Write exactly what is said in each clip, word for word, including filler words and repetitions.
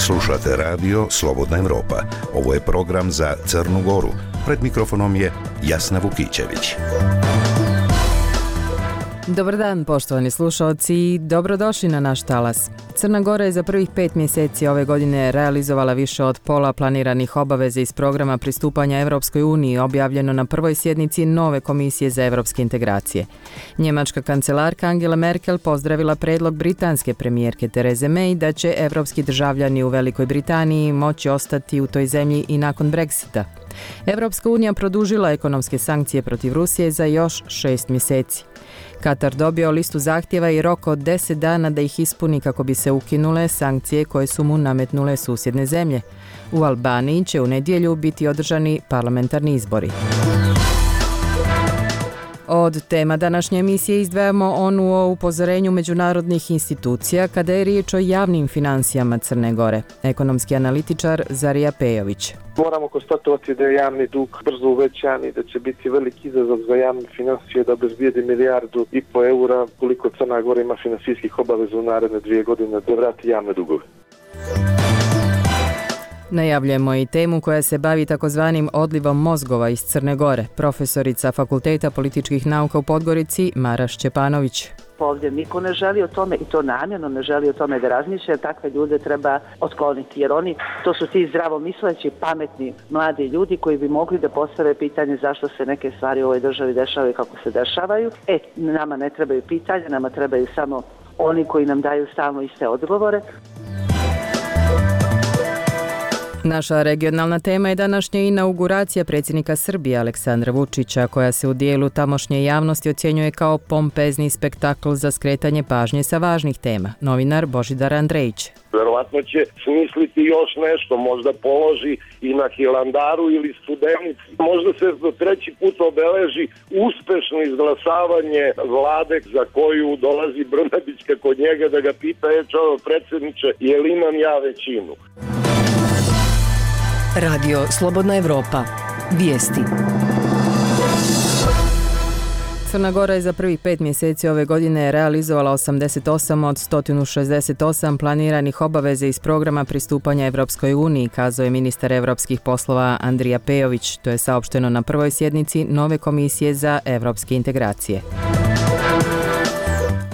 Slušate radio Slobodna Evropa. Ovo je program za Crnu Goru. Pred mikrofonom je Jasna Vukićević. Dobar dan, poštovani slušalci, i dobrodošli na naš talas. Crna Gora je za prvih pet mjeseci ove godine realizovala više od pola planiranih obaveza iz programa pristupanja Evropskoj uniji, objavljeno na prvoj sjednici nove komisije za evropske integracije. Njemačka kancelarka Angela Merkel pozdravila predlog britanske premijerke Therese May da će evropski državljani u Velikoj Britaniji moći ostati u toj zemlji i nakon Brexita. Evropska unija produžila ekonomske sankcije protiv Rusije za još šest mjeseci. Katar dobio listu zahtjeva i rok od deset dana da ih ispuni kako bi se ukinule sankcije koje su mu nametnule susjedne zemlje. U Albaniji će u nedjelju biti održani parlamentarni izbori. Od tema današnje emisije izdvajamo onu o upozorenju međunarodnih institucija kada je riječ o javnim financijama Crne Gore. Ekonomski analitičar Zarija Pejović. Moramo konstatovati da je javni dug brzo uvećan i da će biti veliki izazov za javne financije da obezbijedi milijardu i po eura koliko Crna Gora ima finansijskih obaveza u naredne dvije godine da vrati javne dugove. Najavljujemo i temu koja se bavi takozvanim odlivom mozgova iz Crne Gore. Profesorica Fakulteta političkih nauka u Podgorici Mara Šćepanović. Ovdje niko ne želi o tome i to namjerno ne želi o tome da razmišlja, takve ljude treba otkloniti jer oni, to su ti zdravomisleći, pametni, mladi ljudi koji bi mogli da postave pitanje zašto se neke stvari u ovoj državi dešavaju kako se dešavaju. E, nama ne trebaju pitanja, nama trebaju samo oni koji nam daju stalno iste odgovore. Naša regionalna tema je današnja inauguracija predsjednika Srbije Aleksandra Vučića, koja se u dijelu tamošnje javnosti ocjenjuje kao pompezni spektakl za skretanje pažnje sa važnih tema. Novinar Božidar Andrejić. Verovatno će smisliti još nešto, možda položi i na Hilandaru ili Studenici. Možda se do treći put obeleži uspešno izglasavanje vlade za koju dolazi Brnabićka kod njega da ga pita, je čovjek predsjedniče, je li imam ja većinu? Radio Slobodna Evropa. Vijesti. Crna Gora je za prvih pet mjeseci ove godine realizovala osamdeset osam od sto šezdeset osam planiranih obaveza iz programa pristupanja Evropskoj uniji, kazao je ministar evropskih poslova Andrija Pejović. To je saopšteno na prvoj sjednici nove komisije za evropske integracije.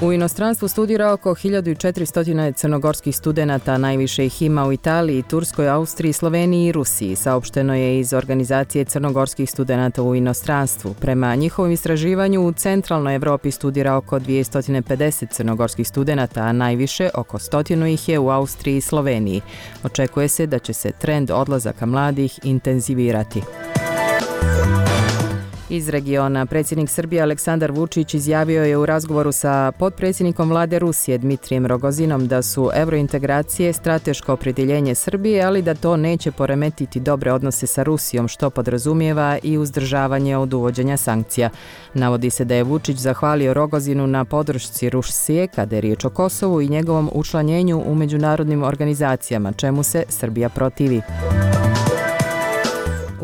U inostranstvu studira oko hiljadu četiristo crnogorskih studenata, najviše ih ima u Italiji, Turskoj, Austriji, Sloveniji i Rusiji, saopšteno je iz organizacije crnogorskih studenata u inostranstvu. Prema njihovom istraživanju u centralnoj Evropi studira oko dvjesto pedeset crnogorskih studenata, a najviše oko stotinu ih je u Austriji i Sloveniji. Očekuje se da će se trend odlazaka mladih intenzivirati. Iz regiona predsjednik Srbije Aleksandar Vučić izjavio je u razgovoru sa potpredsjednikom vlade Rusije Dmitrijem Rogozinom da su eurointegracije strateško opredjeljenje Srbije, ali da to neće poremetiti dobre odnose sa Rusijom, što podrazumijeva i uzdržavanje od uvođenja sankcija. Navodi se da je Vučić zahvalio Rogozinu na podršci Rusije kada je riječ o Kosovu i njegovom učlanjenju u međunarodnim organizacijama, čemu se Srbija protivi.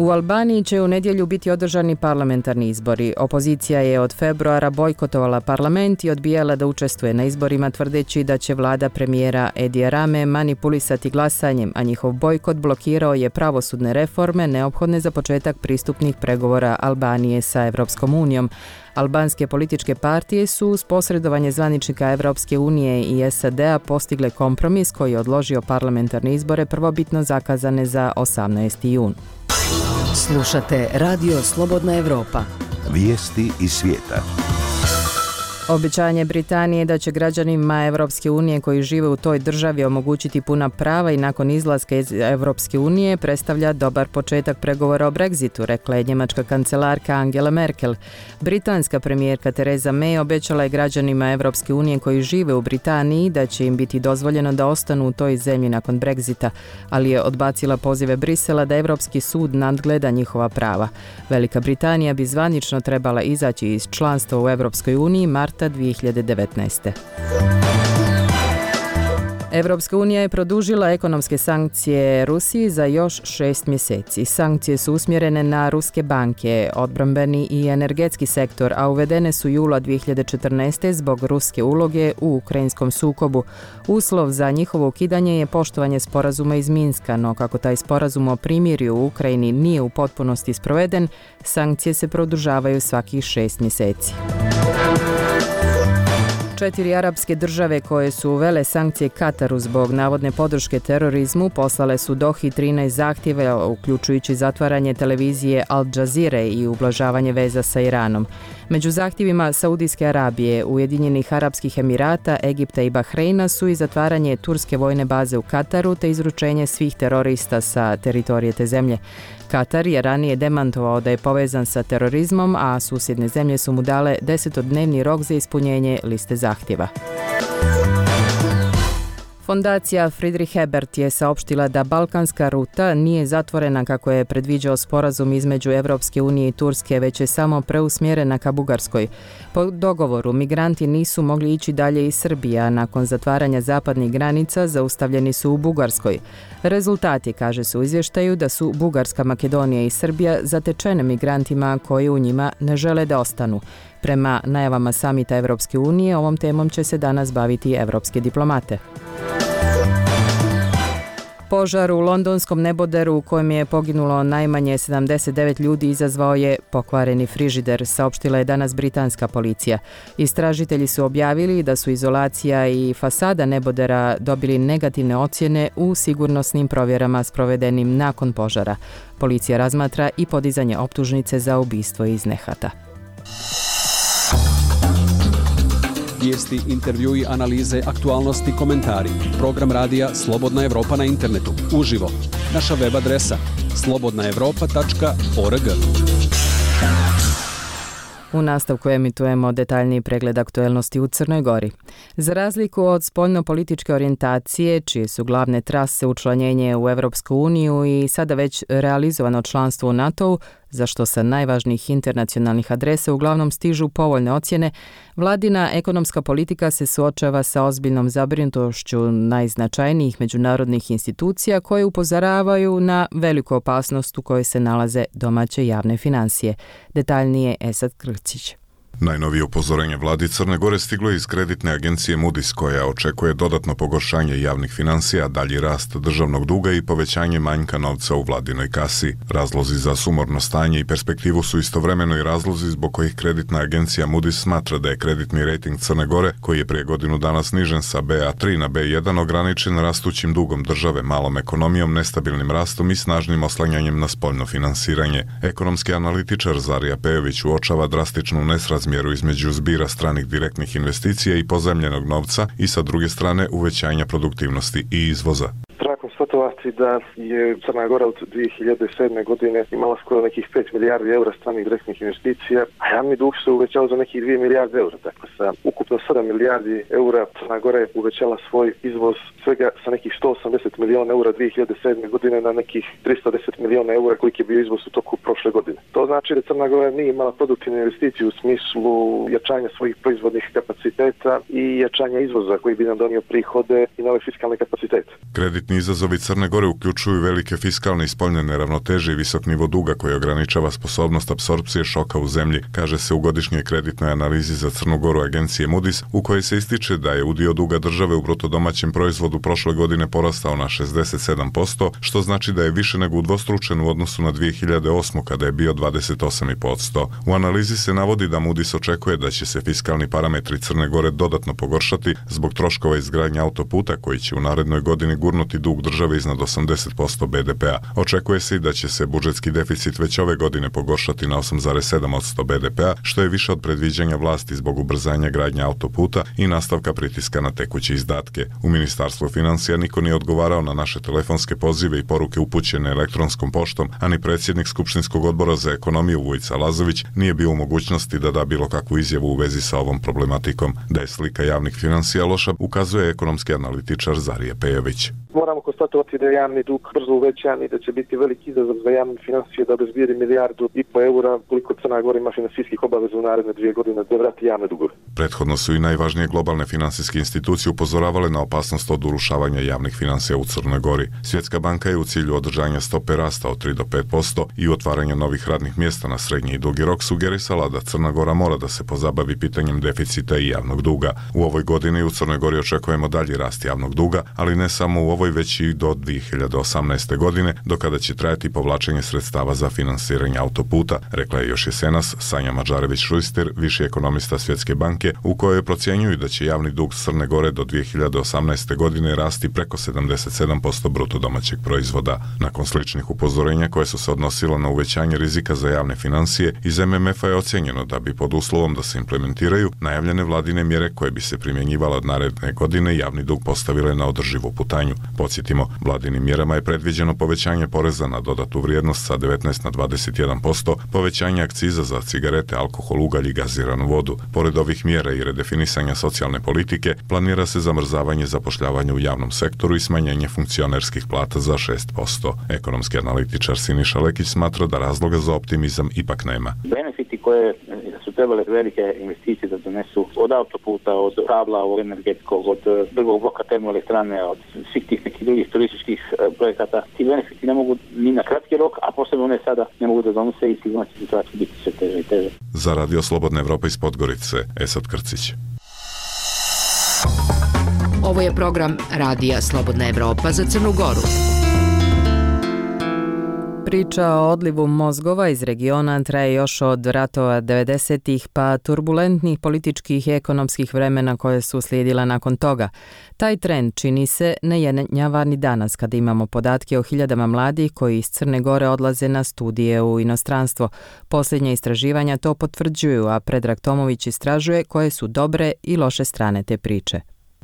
U Albaniji će u nedjelju biti održani parlamentarni izbori. Opozicija je od februara bojkotovala parlament i odbijala da učestvuje na izborima, tvrdeći da će vlada premijera Edija Rame manipulisati glasanjem, a njihov bojkot blokirao je pravosudne reforme neophodne za početak pristupnih pregovora Albanije sa Evropskom unijom. Albanske političke partije su uz posredovanje zvaničnika Evropske unije i S A D-a postigle kompromis koji je odložio parlamentarne izbore prvobitno zakazane za osamnaesti jun. Slušate Radio Slobodna Evropa. Vijesti iz svijeta. Obećanje Britanije da će građanima Evropske unije koji žive u toj državi omogućiti puna prava i nakon izlaska iz Evropske unije predstavlja dobar početak pregovora o Brexitu, rekla je njemačka kancelarka Angela Merkel. Britanska premijerka Theresa May obećala je građanima Evropske unije koji žive u Britaniji da će im biti dozvoljeno da ostanu u toj zemlji nakon Brexita, ali je odbacila pozive Brisela da Evropski sud nadgleda njihova prava. Velika Britanija bi zvanično trebala izaći iz članstva u Evropskoj uniji marta dvije hiljade devetnaeste. Evropska unija je produžila ekonomske sankcije Rusiji za još šest mjeseci. Sankcije su usmjerene na ruske banke, odbrambeni i energetski sektor, a uvedene su jula dvije hiljade četrnaeste. zbog ruske uloge u ukrajinskom sukobu. Uslov za njihovo ukidanje je poštovanje sporazuma iz Minska, no kako taj sporazum o primirju u Ukrajini nije u potpunosti sproveden, sankcije se produžavaju svakih šest mjeseci. Četiri arapske države koje su uvele sankcije Kataru zbog navodne podrške terorizmu poslale su Dohi trinaest zahtjeva, uključujući zatvaranje televizije Al Jazeera i ublažavanje veza sa Iranom. Među zahtjevima Saudijske Arabije, Ujedinjenih Arapskih Emirata, Egipta i Bahreina su i zatvaranje turske vojne baze u Kataru te izručenje svih terorista sa teritorije te zemlje. Katar je ranije demantovao da je povezan sa terorizmom, a susjedne zemlje su mu dale desetodnevni rok za ispunjenje liste zahtjeva. Fondacija Friedrich Ebert je saopštila da balkanska ruta nije zatvorena kako je predviđao sporazum između Evropske unije i Turske, već je samo preusmjerena ka Bugarskoj. Po dogovoru migranti nisu mogli ići dalje iz Srbije, a nakon zatvaranja zapadnih granica zaustavljeni su u Bugarskoj. Rezultati, kaže se u izvještaju, da su Bugarska, Makedonija i Srbija zatečene migrantima koji u njima ne žele da ostanu. Prema najavama samita Evropske unije, ovom temom će se danas baviti evropske diplomate. Požar u londonskom neboderu u kojem je poginulo najmanje sedamdeset devet ljudi izazvao je pokvareni frižider, saopštila je danas britanska policija. Istražitelji su objavili da su izolacija i fasada nebodera dobili negativne ocjene u sigurnosnim provjerama sprovedenim nakon požara. Policija razmatra i podizanje optužnice za ubistvo iz nehata. Vijesti, intervjui, analize, aktualnosti, komentari. Program radija Slobodna Evropa na internetu. Uživo. Naša web adresa slobodna evropa tačka org. U nastavku emitujemo detaljniji pregled aktuelnosti u Crnoj Gori. Za razliku od spoljno-političke orijentacije, čije su glavne trase učlanjenje u Evropsku uniju i sada već realizovano članstvo u NATO-u, za što sa najvažnijih internacionalnih adresa uglavnom stižu povoljne ocjene, vladina ekonomska politika se suočava sa ozbiljnom zabrinutošću najznačajnijih međunarodnih institucija koje upozoravaju na veliku opasnost u kojoj se nalaze domaće javne financije. Detaljnije Esad Krcić. Najnovije upozorenje vladi Crne Gore stiglo je iz kreditne agencije Moody's, koja očekuje dodatno pogoršanje javnih financija, dalji rast državnog duga i povećanje manjka novca u vladinoj kasi. Razlozi za sumorno stanje i perspektivu su istovremeno i razlozi zbog kojih kreditna agencija Moody's smatra da je kreditni rejting Crne Gore, koji je prije godinu dana snižen sa B A tri na B jedan, ograničen rastućim dugom države, malom ekonomijom, nestabilnim rastom i snažnim oslanjanjem na spoljno finansiranje. Ekonomski analitičar Zarija Pejović uočava drastičnu nesrazmjernost mjeru između zbira stranih direktnih investicija i pozemljenog novca i sa druge strane uvećanja produktivnosti i izvoza. Konstatovati da je Crna Gora od dvije hiljade sedme. godine imala skoro nekih pet milijardi eura stranih direktnih investicija, a javni dug se uvećao za nekih dvije milijarde eura. Dakle, sa ukupno sedam milijardi eura Crna Gora je uvećala svoj izvoz svega sa nekih sto osamdeset milijuna eura dvije hiljade sedme. godine na nekih tristo deset milijuna eura koliki je bio izvoz u toku prošle godine. To znači da Crna Gora nije imala produktivne investicije u smislu jačanja svojih proizvodnih kapaciteta i jačanja izvoza koji bi nam donio prihode i nove fiskalne kapacitete. Kreditni izazovi Crne Gore uključuju velike fiskalne i spoljne neravnoteže i visok nivo duga koji ograničava sposobnost apsorpcije šoka u zemlji, kaže se u godišnjoj kreditnoj analizi za Crnu Goru agencije Moody's, u kojoj se ističe da je udio duga države u bruto domaćem proizvodu prošle godine porastao na šezdeset sedam posto, što znači da je više nego udvostručen u odnosu na dvije hiljade osmu. kada je bio dvadeset osam zarez pet posto. U analizi se navodi da Moody's očekuje da će se fiskalni parametri Crne Gore dodatno pogoršati zbog troškova izgradnje autoputa koji će u narednoj godini gurnuti dug države iznad osamdeset posto B D P-a. Očekuje se i da će se budžetski deficit već ove godine pogoršati na osam zarez sedam posto B D P-a, što je više od predviđanja vlasti zbog ubrzanja gradnje autoputa i nastavka pritiska na tekuće izdatke. U Ministarstvu financija niko nije odgovarao na naše telefonske pozive i poruke upućene elektronskom poštom, a ni predsjednik Skupštinskog odbora za ekonomiju Vujica Lazović nije bio u mogućnosti da da bilo kakvu izjavu u vezi sa ovom problematikom. Da je slika javnih financija loša, ukazuje ekonomski analitičar Zarija Pejović. Moramo konstatovati da je javni dug brzo uvećan i da će biti veliki izazov za javne financije da obezbijedi milijardu i po eura koliko Crna Gora ima finansijskih obaveza u naredne dvije godine da vrati javne dugove. Prethodno su i najvažnije globalne finansijske institucije upozoravale na opasnost od urušavanja javnih financija u Crnoj Gori. Svjetska banka je u cilju održanja stope rasta od tri do pet posto i otvaranja novih radnih mjesta na srednji i dugi rok sugerisala da Crna Gora mora da se pozabavi pitanjem deficita i javnog duga. U ovoj godini u Crnoj Gori očekujemo dalji rast javnog duga, ali ne samo u ovoj već i do dvije hiljade osamnaeste. godine, do kada će trajati povlačenje sredstava za finansiranje autoputa, rekla je još jesenas Sanja Mađarević-Šujstir, viši ekonomista Svjetske banke, u kojoj procjenjuju da će javni dug Crne Gore do dvije hiljade osamnaeste. godine rasti preko sedamdeset sedam posto bruto domaćeg proizvoda. Nakon sličnih upozorenja koje su se odnosilo na uvećanje rizika za javne financije, iz em em efa je ocjenjeno da bi pod uslovom da se implementiraju najavljene vladine mjere koje bi se primjenjivale od naredne godine javni dug postavile na održivu putanju. Podsjetimo, vladinim mjerama je predviđeno povećanje poreza na dodatu vrijednost sa devetnaest na dvadeset jedan posto, povećanje akciza za cigarete, alkohol, ugalj i gaziranu vodu. Pored ovih mjera i redefinisanja socijalne politike, planira se zamrzavanje zapošljavanja u javnom sektoru i smanjenje funkcionerskih plata za šest posto. Ekonomski analitičar Siniša Lekić smatra da razloga za optimizam ipak nema. Benefiti koje su trebale velike investicije da donesu od autoputa, od kabla, od energetskog, od drugog bloka termoelektrane, od svih tih nekih drugih turističkih projekata. Ti benefiti ne mogu ni na kratki rok, a posebno ne sada ne mogu da donose i sigurno će situacija biti sve teže i teže. Za Radio Slobodna Evropa iz Podgorice, Esad Krcić. Ovo je program Radija Slobodna Evropa za Crnu Goru. Priča o odlivu mozgova iz regiona traje još od ratova devedesetih pa turbulentnih političkih i ekonomskih vremena koje su slijedila nakon toga. Taj trend čini se ne jenjava ni danas kada imamo podatke o hiljadama mladih koji iz Crne Gore odlaze na studije u inostranstvo. Posljednja istraživanja to potvrđuju, a Predrag Tomović istražuje koje su dobre i loše strane te priče.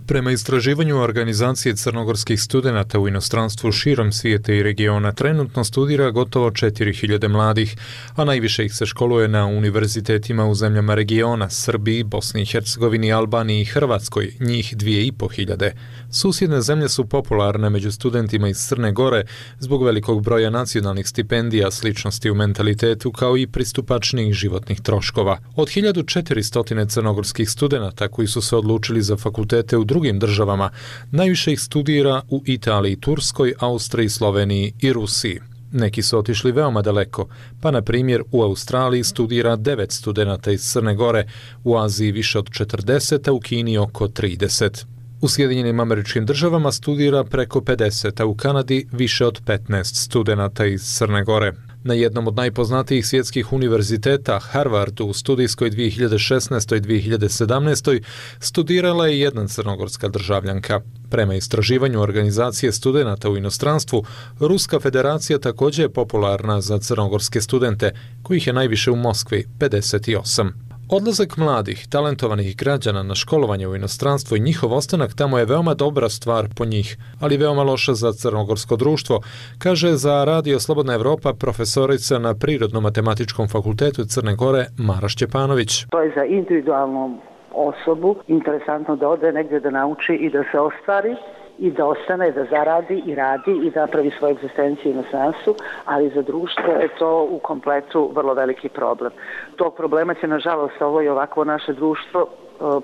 Prema istraživanju organizacije crnogorskih studenata u inostranstvu širom svijeta i regiona trenutno studira gotovo četiri hiljade mladih, a najviše ih se školuje na univerzitetima u zemljama regiona, Srbiji, Bosni i Hercegovini, Albaniji i Hrvatskoj, njih dvije i po hiljade. Susjedne zemlje su popularne među studentima iz Crne Gore zbog velikog broja nacionalnih stipendija, sličnosti u mentalitetu kao i pristupačnijih životnih troškova. Od hiljadu četiristo crnogorskih studenata koji su se odlučili za fakultete u drugim državama, najviše ih studira u Italiji, Turskoj, Austriji, Sloveniji i Rusiji. Neki su otišli veoma daleko, pa na primjer u Australiji studira devet studenata iz Crne Gore, u Aziji više od četrdeset, a u Kini oko trideset. U Sjedinjenim Američkim Državama studira preko pedeset, a u Kanadi više od petnaest studenata iz Crne Gore. Na jednom od najpoznatijih svjetskih univerziteta, Harvardu, u studijskoj dvije hiljade šesnaestoj dvije hiljade sedamnaestoj studirala je jedna crnogorska državljanka. Prema istraživanju organizacije studenata u inostranstvu, Ruska federacija također je popularna za crnogorske studente, kojih je najviše u Moskvi, pedeset osam. Odlazak mladih, talentovanih građana na školovanje u inostranstvo i njihov ostanak tamo je veoma dobra stvar po njih, ali veoma loša za crnogorsko društvo, kaže za Radio Slobodna Evropa profesorica na Prirodno-matematičkom fakultetu Crne Gore Mara Šćepanović. To je za individualnu osobu interesantno da ode negdje da nauči i da se ostvari i da ostane, da zaradi i radi i da napravi svoju egzistenciju u inostranstvu, ali za društvo je to u kompletu vrlo veliki problem. Tog problema će, nažalost, ovo i ovako naše društvo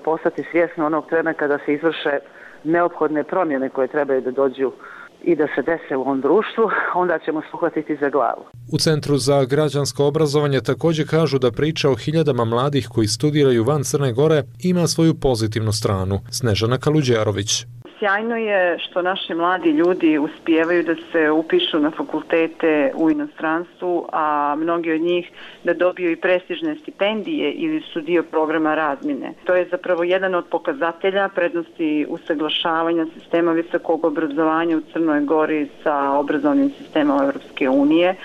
postati svjesno onog trena kada se izvrše neophodne promjene koje trebaju da dođu i da se dese u ovom društvu, onda ćemo se uhvatiti za glavu. U Centru za građansko obrazovanje također kažu da priča o hiljadama mladih koji studiraju van Crne Gore ima svoju pozitivnu stranu. Snežana Kaluđerović. Sjajno je što naši mladi ljudi uspijevaju da se upišu na fakultete u inostranstvu, a mnogi od njih da dobiju i prestižne stipendije ili su dio programa razmjene. To je zapravo jedan od pokazatelja prednosti usaglašavanja sistema visokog obrazovanja u Crnoj Gori sa obrazovnim sistemom Europske unije,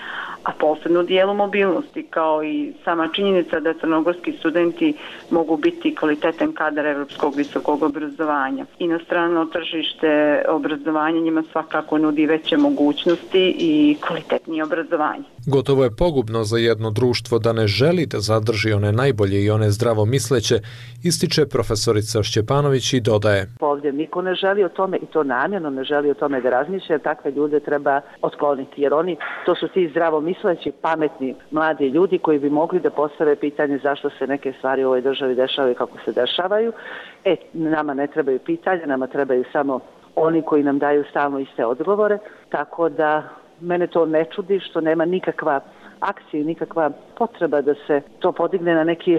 a posebno u dijelu mobilnosti, kao i sama činjenica da crnogorski studenti mogu biti kvalitetan kadar evropskog visokog obrazovanja. Inostrano tržište obrazovanja njima svakako nudi veće mogućnosti i kvalitetnije obrazovanje. Gotovo je pogubno za jedno društvo da ne želi da zadrži one najbolje i one zdravo misleće, ističe profesorica Šćepanović i dodaje. Ovdje niko ne želi o tome, i to namjerno ne želi o tome da razmišlja, takve ljude treba otkloniti, jer oni, to su ti zdravo misleći, pametni, mladi ljudi koji bi mogli da postave pitanje zašto se neke stvari u ovoj državi dešavaju kako se dešavaju. E, nama ne trebaju pitanja, nama trebaju samo oni koji nam daju stalno iste odgovore, tako da mene to ne čudi što nema nikakva akcija, nikakva potreba da se to podigne na neki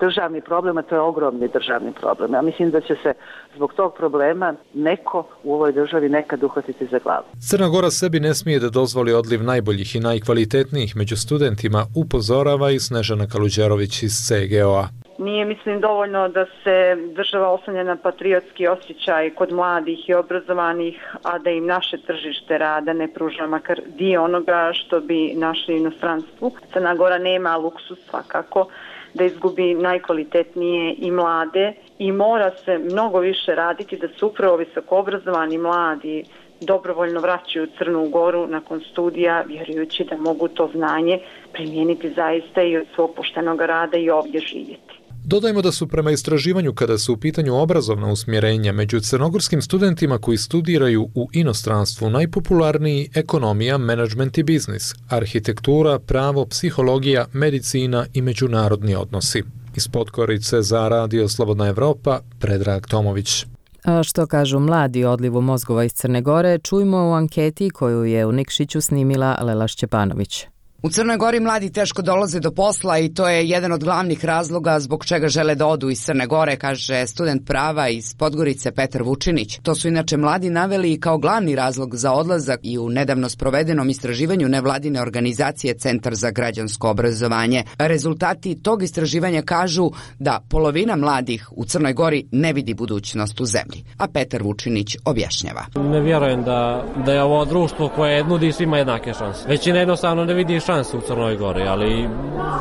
državni problem, a to je ogromni državni problem. Ja mislim da će se zbog tog problema neko u ovoj državi nekad uhvatiti za glavu. Crna Gora sebi ne smije da dozvoli odliv najboljih i najkvalitetnijih među studentima, upozorava i Snežana Kaluđerović iz C G O A. Nije, mislim, dovoljno da se država oslanja na patriotski osjećaj kod mladih i obrazovanih, a da im naše tržište rada ne pruža makar dio onoga što bi našli u inostranstvu. Crna Gora nema luksus svakako da izgubi najkvalitetnije i mlade i mora se mnogo više raditi da se upravo visoko obrazovani mladi dobrovoljno vraćaju u Crnu Goru nakon studija, vjerujući da mogu to znanje primijeniti zaista i od svog poštenog rada i ovdje živjeti. Dodajmo da su prema istraživanju kada su u pitanju obrazovna usmjerenja među crnogorskim studentima koji studiraju u inostranstvu najpopularniji ekonomija, menadžment i biznis, arhitektura, pravo, psihologija, medicina i međunarodni odnosi. Iz Podgorice za Radio Slobodna Evropa, Predrag Tomović. A što kažu mladi o odlivu mozgova iz Crne Gore, čujmo u anketi koju je u Nikšiću snimila Lela Šćepanović. U Crnoj Gori mladi teško dolaze do posla i to je jedan od glavnih razloga zbog čega žele da odu iz Crne Gore, kaže student prava iz Podgorice Petar Vučinić. To su inače mladi naveli i kao glavni razlog za odlazak i u nedavno sprovedenom istraživanju nevladine organizacije Centar za građansko obrazovanje. Rezultati tog istraživanja kažu da polovina mladih u Crnoj Gori ne vidi budućnost u zemlji. A Petar Vučinić objašnjava. Ne vjerujem da, da je ovo društvo koje nudi svima jednake šanse. Većina jednostavno ne vidi šanse u Crnoj Gori, ali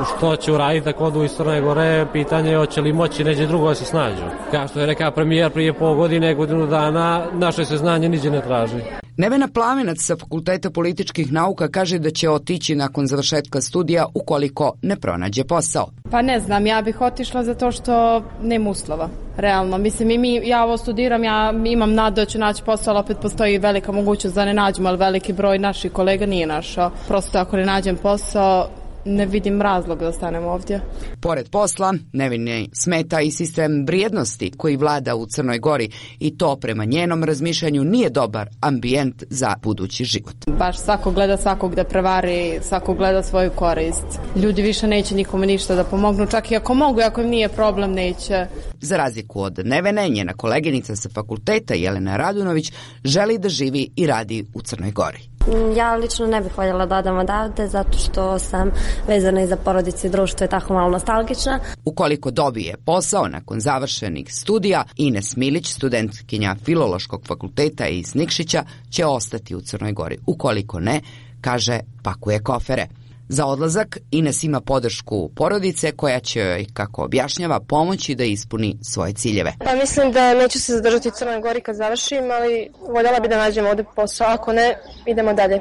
što će uraditi ako odu iz Crne Gore, pitanje je hoće li moći neđe drugo da se snađu. Kao što je rekao premijer prije pol godine, godinu dana, naše se znanje niđe ne traži. Nevena Plavenac sa Fakulteta političkih nauka kaže da će otići nakon završetka studija ukoliko ne pronađe posao. Pa ne znam, ja bih otišla zato što nema uslova, realno. Mislim, i mi, ja ovo studiram, ja imam nadu da ću naći posao, ali opet postoji velika mogućnost da ne nađem, ali veliki broj naših kolega nije našao. Prosto ako ne nađem posao, ne vidim razlog da ostanem ovdje. Pored posla, Nevini smeta i sistem vrijednosti koji vlada u Crnoj Gori i to prema njenom razmišljanju nije dobar ambijent za budući život. Baš svako gleda svakog da prevari, svako gleda svoju korist. Ljudi više neće nikome ništa da pomognu, čak i ako mogu, ako im nije problem, neće. Za razliku od Nevene, njena koleginica sa fakulteta Jelena Radunović želi da živi i radi u Crnoj Gori. Ja lično ne bih voljela da odam odavde zato što sam vezana i za porodicu i društvo je tako malo nostalgična. Ukoliko dobije posao nakon završenih studija, Ines Milić, studentkinja Filološkog fakulteta iz Nikšića, će ostati u Crnoj Gori. Ukoliko ne, kaže, pakuje kofere. Za odlazak Ines ima podršku porodice koja će joj, kako objašnjava, pomoći da ispuni svoje ciljeve. Pa mislim da neću se zadržati u Crnoj Gori kad završim, ali voljela bi da nađem ovdje posao, ako ne, idemo dalje.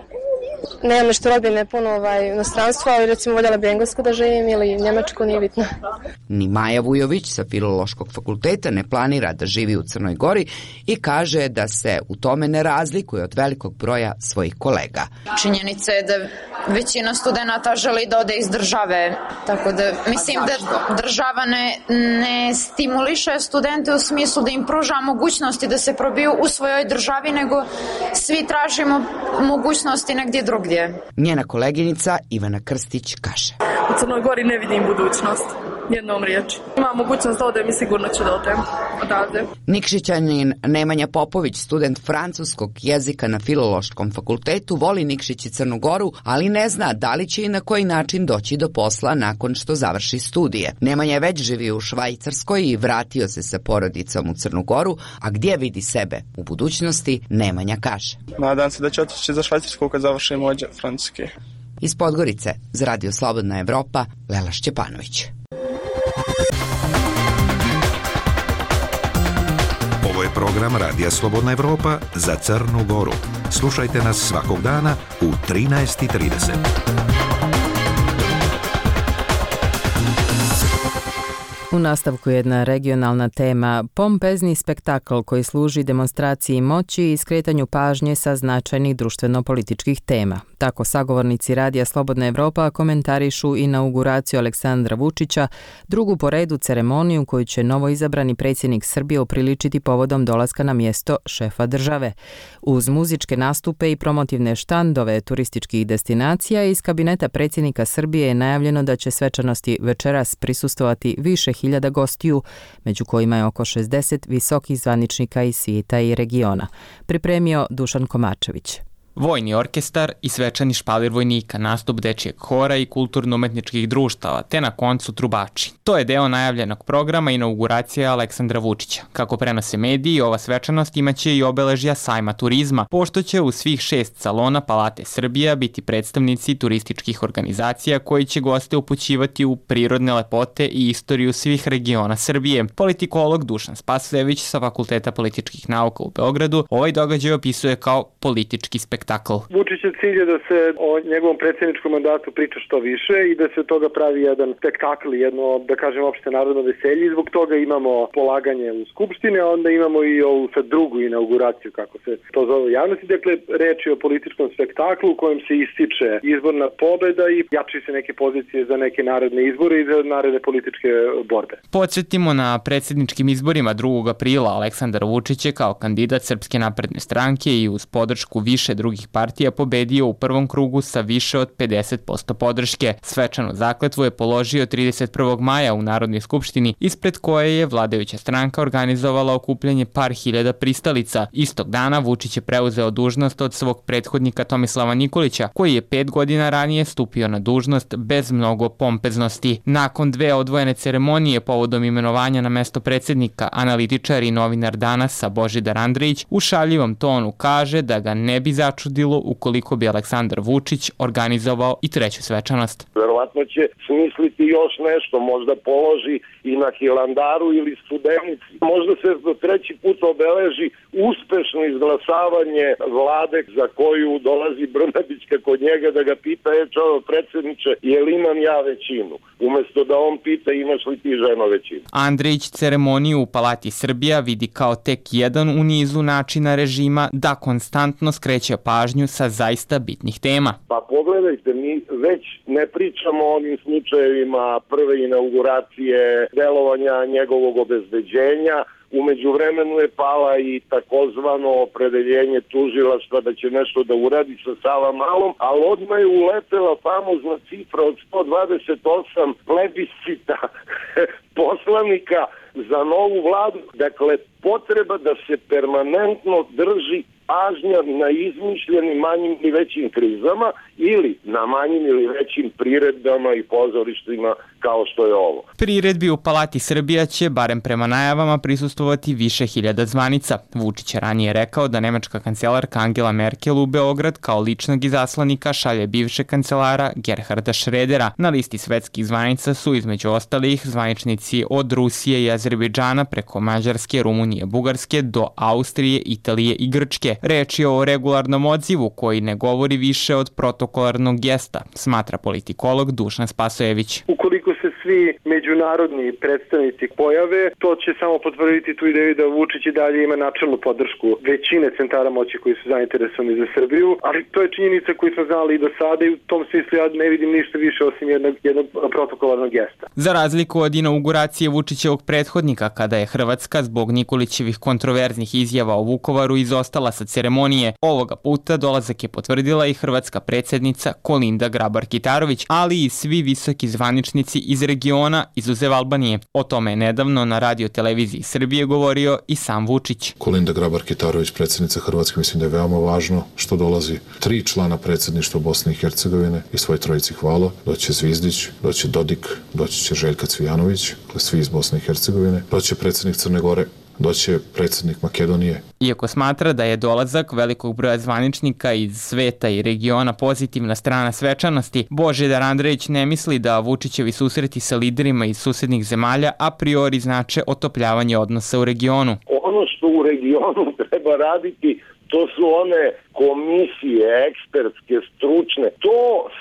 Nemam nešto rodbine puno ovaj, inostranstva, ali recimo voljela bi Englesku da živim ili Njemačku, nije bitno. Ni Maja Vujović sa Filološkog fakulteta ne planira da živi u Crnoj Gori i kaže da se u tome ne razlikuje od velikog broja svojih kolega. Činjenica je da većina studenata želi da ode iz države, tako da mislim da država ne, ne stimuliše studente u smislu da im pruža mogućnosti da se probiju u svojoj državi, nego svi tražimo mogućnosti negdje drugdje. Njena koleginica Ivana Krstić kaže: U Crnoj Gori ne vidim budućnost, jednom riječi. Ima mogućnost da odem i sigurno ću da odem odavde. Nikšićanin Nemanja Popović, student francuskog jezika na Filološkom fakultetu, voli Nikšić i Crnu Goru, ali ne zna da li će i na koji način doći do posla nakon što završi studije. Nemanja je već živio u Švajcarskoj i vratio se sa porodicom u Crnu Goru, a gdje vidi sebe u budućnosti, Nemanja kaže: Nadam se da će otići za Švajcarsku kad završim ovdje francuski. Iz Podgorice, za Radio Slobodna Evropa, Lela Šćepanović. Ovo je program Radija Slobodna Evropa za Crnu Goru. Slušajte nas svakog dana u trinaest i trideset. U nastavku jedna regionalna tema, pompezni spektakl koji služi demonstraciji moći i skretanju pažnje sa značajnih društveno-političkih tema. Tako sagovornici Radija Slobodna Evropa komentarišu inauguraciju Aleksandra Vučića, drugu po redu ceremoniju koju će novoizabrani predsjednik Srbije upriličiti povodom dolaska na mjesto šefa države. Uz muzičke nastupe i promotivne štandove turističkih destinacija iz kabineta predsjednika Srbije je najavljeno da će svečanosti večeras prisustvovati više hiljada gostiju, među kojima je oko šezdeset visokih zvaničnika iz svijeta i regiona. Pripremio Dušan Komačević. Vojni orkestar i svečani špalir vojnika, nastup dečijeg hora i kulturno-umetničkih društava, te na koncu trubači. To je deo najavljenog programa inauguracije Aleksandra Vučića. Kako prenose mediji, ova svečanost imaće i obeležja sajma turizma, pošto će u svih šest salona Palate Srbija biti predstavnici turističkih organizacija koji će goste upućivati u prirodne lepote i istoriju svih regiona Srbije. Politikolog Dušan Spasojević sa Fakulteta političkih nauka u Beogradu ovaj događaj opisuje kao politički spektakl. Vučićev cilj je da se o njegovom predsjedničkom mandatu priča što više i da se od toga pravi jedan spektakl, jedno, da kažem, opšte narodno veselje i zbog toga imamo polaganje u Skupštine, a onda imamo i ovu sad drugu inauguraciju, kako se to zove u javnosti. Dakle, reč je o političkom spektaklu u kojem se ističe izborna pobeda i jači se neke pozicije za neke naredne izbore i za naredne političke borbe. Podsjetimo, na predsjedničkim izborima drugog aprila Aleksandar Vučić je kao kandidat Srpske napredne stranke i uz podršku više drugih partija pobedio u prvom krugu sa više od pedeset posto podrške. Svečanu zakletvu je položio trideset prvog maja u Narodnoj skupštini, ispred koje je vladajuća stranka organizovala okupljanje par hiljada pristalica. Istog dana Vučić je preuzeo dužnost od svog prethodnika Tomislava Nikolića, koji je pet godina ranije stupio na dužnost bez mnogo pompeznosti. Nakon dve odvojene ceremonije povodom imenovanja na mesto predsjednika, analitičar i novinar Danasa Božidar Andrejić u šaljivom tonu kaže da ga ne bi začudilo ukoliko bi Aleksandar Vučić organizovao i treću svečanost. Verovatno će smisliti još nešto, možda položi i na Hilandaru ili Studenici. Možda se treći put obeleži uspešno izglasavanje vlade za koju dolazi Brnabić kod njega da ga pita, je čovjek predsjedniče, je li imam ja većinu? Umjesto da on pita imaš li ti ženo većinu. Andrejić ceremoniju u Palati Srbija vidi kao tek jedan u nizu načina režima da konstantno skreće pažnju sa zaista bitnih tema. Pa pogledajte, mi već ne pričamo o onim slučajevima prve inauguracije, delovanja njegovog obezbeđenja. Umeđu vremenu je pala i takozvano opredeljenje tužilaštva da će nešto da uradi sa Savamalom, ali odmah je uletela famozna cifra od sto dvadeset osam plebiscita poslanika za novu vladu. Dakle, potreba da se permanentno drži pažnja na izmišljenim manjim i većim krizama ili na manjim ili većim priredbama i pozorištima kao što je ovo. Priredbi u Palati Srbija će, barem prema najavama, prisustvovati više hiljada zvanica. Vučić je ranije rekao da nemačka kancelarka Angela Merkel u Beograd kao ličnog izaslanika šalje bivšeg kancelara Gerharda Schrödera. Na listi svetskih zvanica su između ostalih zvaničnici od Rusije i Azerbejdžana preko Mađarske, Rumunije, Bugarske do Austrije, Italije i Grčke. Reč je o regularnom odzivu koji ne govori više od protokolarnog gesta, smatra politikolog Dušan Spasojević. Ukoliko se svi međunarodni predstavnici pojave, to će samo potvrditi tu ideju da Vučić i dalje ima načelnu podršku većine centara moći koji su zainteresovani za Srbiju, ali to je činjenica koju smo znali i do sada i u tom smislu ja ne vidim ništa više osim jednog, jednog protokolarnog gesta. Za razliku od inauguracije Vučićevog prethodnika, kada je Hrvatska zbog Nikolićevih kontroverznih izjava o Vukovaru izostala sa ceremonije, ovoga puta dolazak je potvrdila i hrvatska predsjednica Kolinda Grabar-Kitarović, ali i svi visoki zvaničnici iz regiona, izuzev Albanije. O tome je nedavno na radio televiziji Srbije govorio i sam Vučić. Kolinda Grabar-Kitarović, predsjednica Hrvatske, mislim da je veoma važno što dolazi tri člana predsjedništva Bosne i Hercegovine i svoj trojici hvala. Doće Zvizdić, doće Dodik, doći će Željka Cvijanović, svi iz Bosne i Hercegovine, doće predsjednik Crne Gore doće predsjednik Makedonije. Iako smatra da je dolazak velikog broja zvaničnika iz sveta i regiona pozitivna strana svečanosti, Božidar Andrejić ne misli da Vučićevi susreti sa liderima iz susednih zemalja a priori znače otopljavanje odnosa u regionu. Ono što u regionu treba raditi, to su one komisije, ekspertske, stručne. To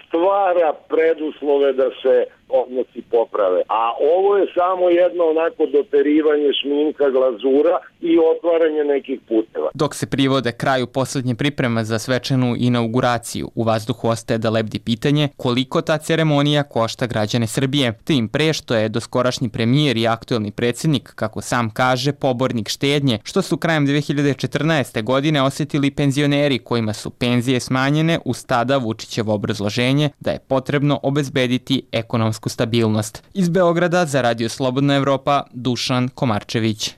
stvara preduslove da se odnosi poprave. A ovo je samo jedno onako doterivanje šminka, glazura i otvaranje nekih puteva. Dok se privode kraju poslednje priprema za svečanu inauguraciju, u vazduhu ostaje da lebdi pitanje koliko ta ceremonija košta građane Srbije. Tim pre što je doskorašnji premijer i aktuelni predsjednik, kako sam kaže, pobornik štednje, što su krajem dve hiljade četrnaeste. godine osjetili penzioneri kojima su penzije smanjene uz tada Vučićevo obrazloženje da je potrebno obezbediti ekonomsku stabilnost. Iz Beograda za Radio Slobodna Evropa, Dušan Komarčević.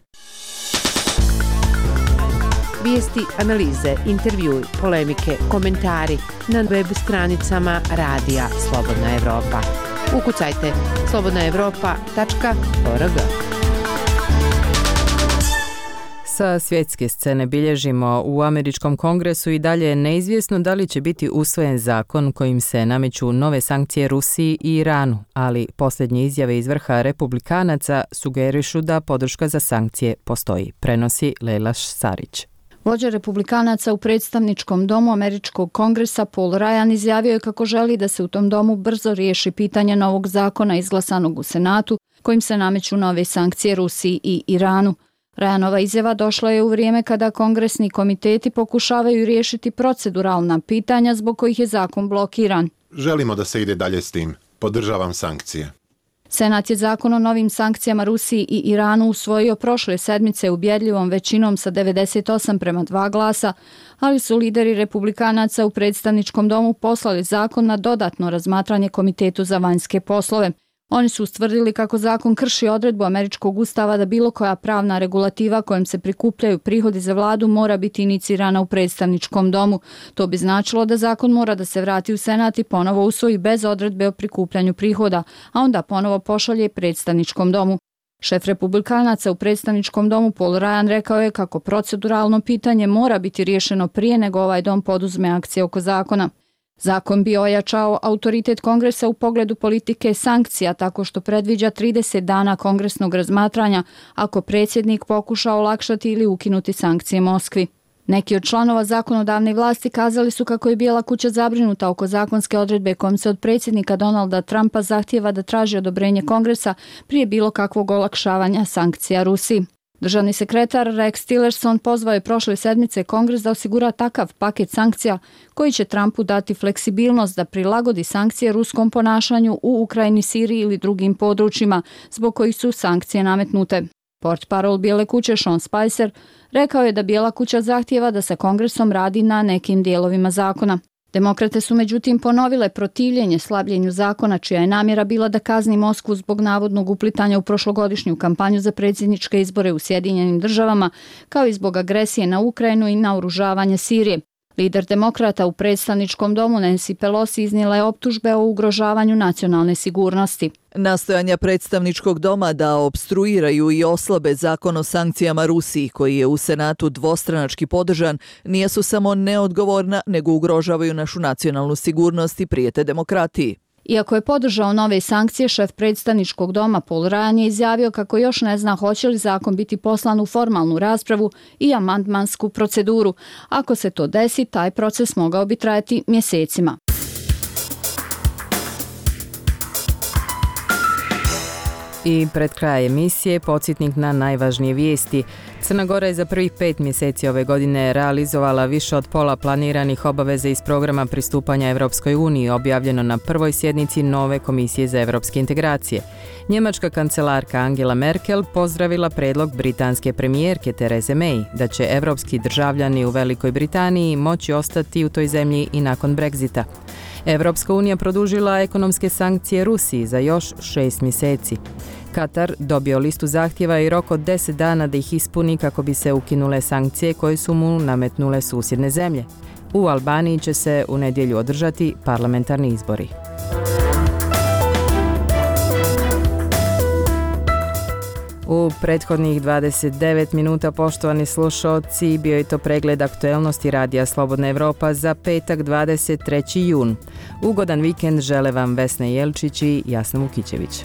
Vijesti, analize, intervjui, polemike, komentari na web stranicama Radija Slobodna Evropa. Ukucajte slobodna evropa tačka org. Sa svjetske scene bilježimo u američkom kongresu i dalje je neizvjesno da li će biti usvojen zakon kojim se nameću nove sankcije Rusiji i Iranu, ali posljednje izjave iz vrha republikanaca sugerišu da podrška za sankcije postoji, prenosi Lejla Sarić. Vođa republikanaca u predstavničkom domu američkog kongresa Paul Ryan izjavio je kako želi da se u tom domu brzo riješi pitanje novog zakona izglasanog u Senatu kojim se nameću nove sankcije Rusiji i Iranu. Ryanova izjava došla je u vrijeme kada kongresni komiteti pokušavaju riješiti proceduralna pitanja zbog kojih je zakon blokiran. Želimo da se ide dalje s tim. Podržavam sankcije. Senat je zakon o novim sankcijama Rusiji i Iranu usvojio prošle sedmice ubjedljivom većinom sa devedeset osam prema dva glasa, ali su lideri republikanaca u predstavničkom domu poslali zakon na dodatno razmatranje Komitetu za vanjske poslove. Oni su ustvrdili kako zakon krši odredbu američkog ustava da bilo koja pravna regulativa kojom se prikupljaju prihodi za vladu mora biti inicirana u predstavničkom domu. To bi značilo da zakon mora da se vrati u Senat i ponovo usvoji bez odredbe o prikupljanju prihoda, a onda ponovo pošalje predstavničkom domu. Šef republikanaca u predstavničkom domu Paul Ryan rekao je kako proceduralno pitanje mora biti riješeno prije nego ovaj dom poduzme akcije oko zakona. Zakon bi ojačao autoritet kongresa u pogledu politike sankcija tako što predviđa trideset dana kongresnog razmatranja ako predsjednik pokuša olakšati ili ukinuti sankcije Moskvi. Neki od članova zakonodavne vlasti kazali su kako je Bijela kuća zabrinuta oko zakonske odredbe kojom se od predsjednika Donalda Trumpa zahtijeva da traži odobrenje kongresa prije bilo kakvog olakšavanja sankcija Rusiji. Državni sekretar Rex Tillerson pozvao je prošle sedmice Kongres da osigura takav paket sankcija koji će Trumpu dati fleksibilnost da prilagodi sankcije ruskom ponašanju u Ukrajini, Siriji ili drugim područjima zbog kojih su sankcije nametnute. Portparol Bijele kuće Sean Spicer rekao je da Bijela kuća zahtijeva da se Kongresom radi na nekim dijelovima zakona. Demokrate su međutim ponovile protivljenje slabljenju zakona čija je namjera bila da kazni Moskvu zbog navodnog uplitanja u prošlogodišnju kampanju za predsjedničke izbore u Sjedinjenim državama, kao i zbog agresije na Ukrajinu i naoružavanje Sirije. Lider demokrata u predstavničkom domu Nancy Pelosi iznijela je optužbe o ugrožavanju nacionalne sigurnosti. Nastojanja predstavničkog doma da opstruiraju i oslabe zakon o sankcijama Rusiji, koji je u Senatu dvostranački podržan, nisu samo neodgovorna, nego ugrožavaju našu nacionalnu sigurnost i prijete demokratiji. Iako je podržao nove sankcije, šef predstavničkog doma Paul Ryan je izjavio kako još ne zna hoće li zakon biti poslan u formalnu raspravu i amandmansku proceduru. Ako se to desi, taj proces mogao bi trajati mjesecima. I pred kraj emisije podsjetnik na najvažnije vijesti. Crna Gora je za prvih pet mjeseci ove godine realizovala više od pola planiranih obaveza iz programa pristupanja Evropskoj uniji, objavljeno na prvoj sjednici nove Komisije za evropske integracije. Njemačka kancelarka Angela Merkel pozdravila predlog britanske premijerke Therese May da će evropski državljani u Velikoj Britaniji moći ostati u toj zemlji i nakon Brexita. Evropska unija produžila ekonomske sankcije Rusiji za još šest mjeseci. Katar dobio listu zahtjeva i rok od deset dana da ih ispuni kako bi se ukinule sankcije koje su mu nametnule susjedne zemlje. U Albaniji će se u nedjelju održati parlamentarni izbori. U prethodnih dvadeset devet minuta, poštovani slušalci, bio je to pregled aktuelnosti Radija Slobodna Evropa za petak dvadeset treći jun. Ugodan vikend žele vam Vesna Jelčić i Jasna Vukićević.